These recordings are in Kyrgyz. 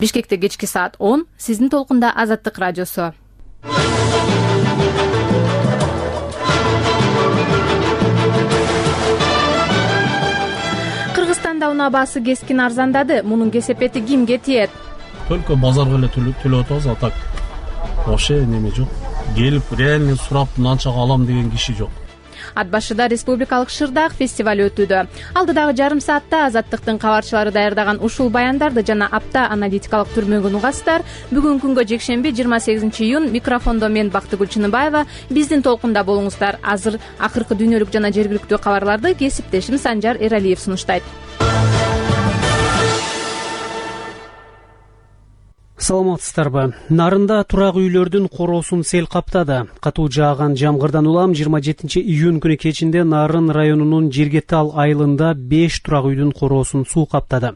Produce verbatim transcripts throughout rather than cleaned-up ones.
Бишкекте кечки саат он, сиздин толкунда Азаттык радиосу. Кыргызстанда унаа баасы кескин арзандады. Мунун кесепети кимге тиет? Только базарга эле төлөп атабыз, а так вообще неме жок. Келип реально сурап мынанчага алам деген киши жок. Ат башыда республикалык шырдаак фестиваль өтүүдө. Алдыдагы жарым саатта Азаттыктын кабарчылары даярдаган ушул баяндарды жана апта аналитикалык түрмөгүн угасыздар. Бүгүнкү күнгө жекшемби жыйырма сегизинчи июнь микрофондо мен Бактыгүл Чыныбаева. Биздин толкунда болуңуздар. Азыр акыркы дүйнөлүк жана жергиликтүү кабарларды кесиптешим Санжар Эралиев сунуштайт. Саламатсыздарбы? Нарында турак үйлөрдүн короосун сел каптады. Катуу жааган жамгырдан улам жыйырма жетинчи июнь күнү кечинде Нарын районунун Жергетал айылында беш турак үйдүн короосун суу каптады.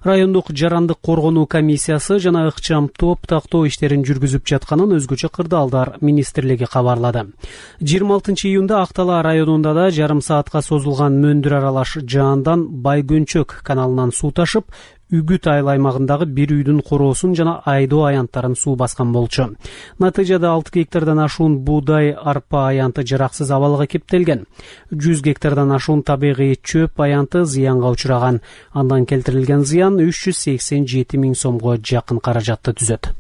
Райондук жарандык коргонуу комиссиясы жана ыкчам топ тактоо иштерин жүргүзүп жатканын өзгөчө кырдаалдар министрлиги кабарлады. жыйырма алтынчы июнда Актала районунда да жарым саатка созулган мөндүр аралаш жаандан Байгөнчөк каналынан суу ташып, Үгүт айыл аймагындагы бир үйдүн короосун жана айдоо аянттарын суу баскан болчу. Натыйжада алты гектардан ашуун буудай, арпа аянты жараксыз абалга кептелген. жүз гектардан ашуун табигый чөп аянты зыянга учураган. Андан келтирилген зыян үч жүз сексен жети миң сомго жакын каражатты түзөт.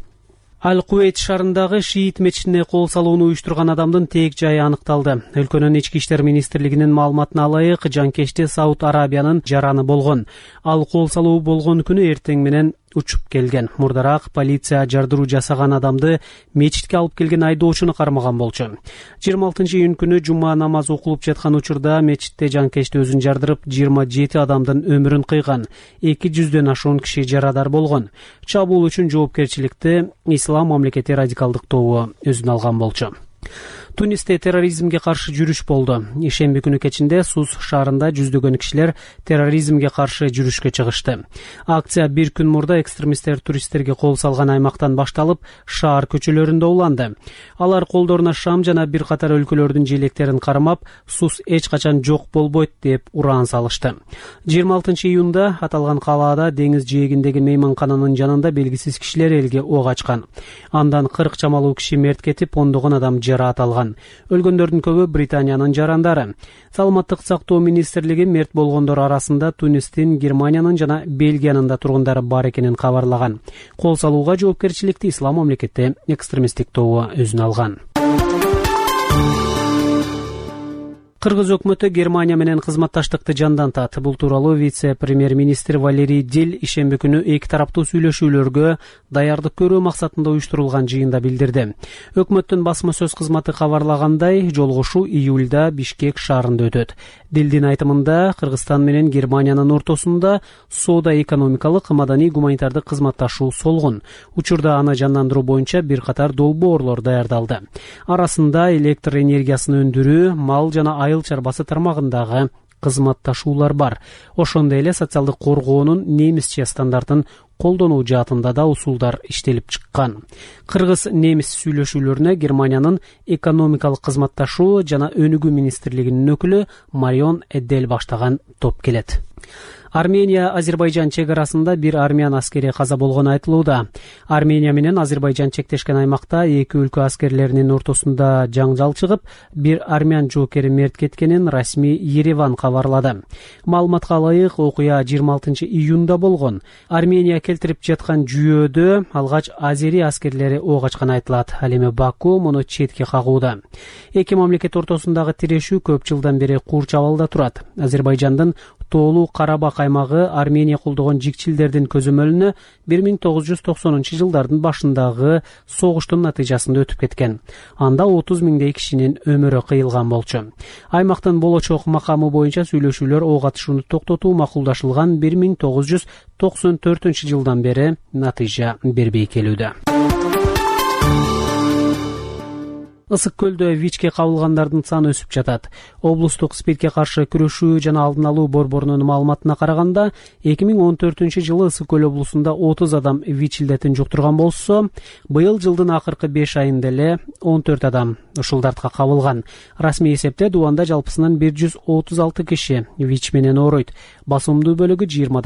Аль-Куэйт шаарындагы шиит мечитине кол салууну уюштурган адамдын тээк жайы аныкталды. Өлкөнүн ички иштер министрлигинин маалыматына ылайык, жанкечте Сауд Арабиянын жараны болгон. Ал кол салуу болгон күнү эртең менен учуп келген. Мурдараак полиция жардыруу жасаган адамды мечитке алып келген айдоочуну кармаган болчу. жыйырма алтынчы июнь күнү жума намазы окулуп жаткан учурда мечитте жанкечти өзүн жардырып, жыйырма жети адамдын өмүрүн кыйган. эки жүздөн ашуун киши жарадар болгон. Чабуул үчүн жоопкерчиликти Ислам мамлекети радикалдык тобу өзүнө алган болчу. Тунисте терроризмге каршы жүрүш болду. Ишемби күнү кечинде Сус шаарында жүздөгөн кишилер терроризмге каршы жүрүшкө чыгышты. Акция бир күн мурда экстремисттер туристтерге кол салган аймактан башталып, шаар көчөлөрүндө уланды. Алар колдоруна шам жана бир катар өлкөлөрдүн желектерин кармап, Сус эч качан жок болбойт деп ураан салышты. жыйырма алтынчы июнда аталган калаада деңиз жээгиндеги мейманкананын жанында белгисиз кишилер элге ок ачкан. Андан кырк чамалуу киши мерт кетип, ондогон адам жараат алган. Өлгөндөрдүн көбү Британиянын жарандары. Саламаттык сактоо министрлиги мерт болгондор арасында Тунистин, Германиянын жана Бельгиянын да тургундары бар экенин кабарлаган. Кол салууга жоопкерчиликти Ислам мамлекети экстремисттик тобу өзүнө алган. Кыргыз өкмөтү Германия менен кызматташтыкты жандантат. Бул тууралуу вице-премьер-министр Валерий Дил ишемби күнү эки тараптуу сүйлөшүүлөргө даярдык көрүү максатында уюштурулган жыйында билдирди. Өкмөттүн басма сөз кызматы кабарлагандай, жолугушуу июлда Бишкек шаарында өтөт. Дилдин айтымында, Кыргызстан менен Германиянын ортосунда соода-экономикалык, маданий-гуманитардык кызматташуу солгун. Учурда аны жандандыруу боюнча бир катар долбоорлор даярдалды. Арасында электр энергиясын өндүрүү, мал жана айыл чарбасы тармагындагы кызматташуулар бар. Ошондой эле социалдык коргоонун немисче стандартын колдонуу жаатында да усулдар иштелип чыккан. Кыргыз-немис сүйлөшүүлөрүнө Германиянын экономикалык кызматташуу жана өнүгүү министрлигинин өкүлү Марион Эддел баштаган топ келет. Армения-Азербайжан чегарасында бир армян аскери каза болгону айтылууда. Армения менен Азербайжан чектешкен аймакта эки өлкө аскерлеринин ортосунда жаңжал чыгып, бир армян жоокери мерт кеткенин расмий Ереван кабарлады. Маалыматка ылайык, окуя жыйырма алтынчы июнда болгон. Армения келтирип жаткан жүйөөдө алгач азери аскерлери ок ачканы айтылат. Ал эми Баку муну четке кагууда. Эки мамлекет ортосундагы тирешүү көп жылдан бери курч абалда турат. Азербайжандын Тоолуу Карабак аймагы Армения колдогон жикчилдердин көзөмөлүнө бир миң тогуз жүз токсонунчу жылдардын башындагы согуштун натыйжасында өтүп кеткен. Анда отуз миңдей кишинин өмүрү кыйылган болчу. Аймактын болочок макамы боюнча сүйлөшүүлөр ок атышууну токтотуу макулдашылган бир миң тогуз жүз токсон төртүнчү жылдан бери натыйжа бербей келүүдө. Ысык көлдө ВИЧке кабылгандардын саны өсүп жатат. Облустук СПИДке каршы күрөшүү жана алдын алуу борборунун маалыматына караганда, эки миң он төртүнчү жылы Ысык көл облусунда отуз адам ВИЧ илдетин жуктурган болсо, быйыл жылдын акыркы беш айында эле он төрт адам ушул дартка кабылган. Расмий эсепте Дубанда жалпысынан бир жүз отуз алты киши ВИЧ менен ооруйт. Басымдуу бөлүгү жыйырма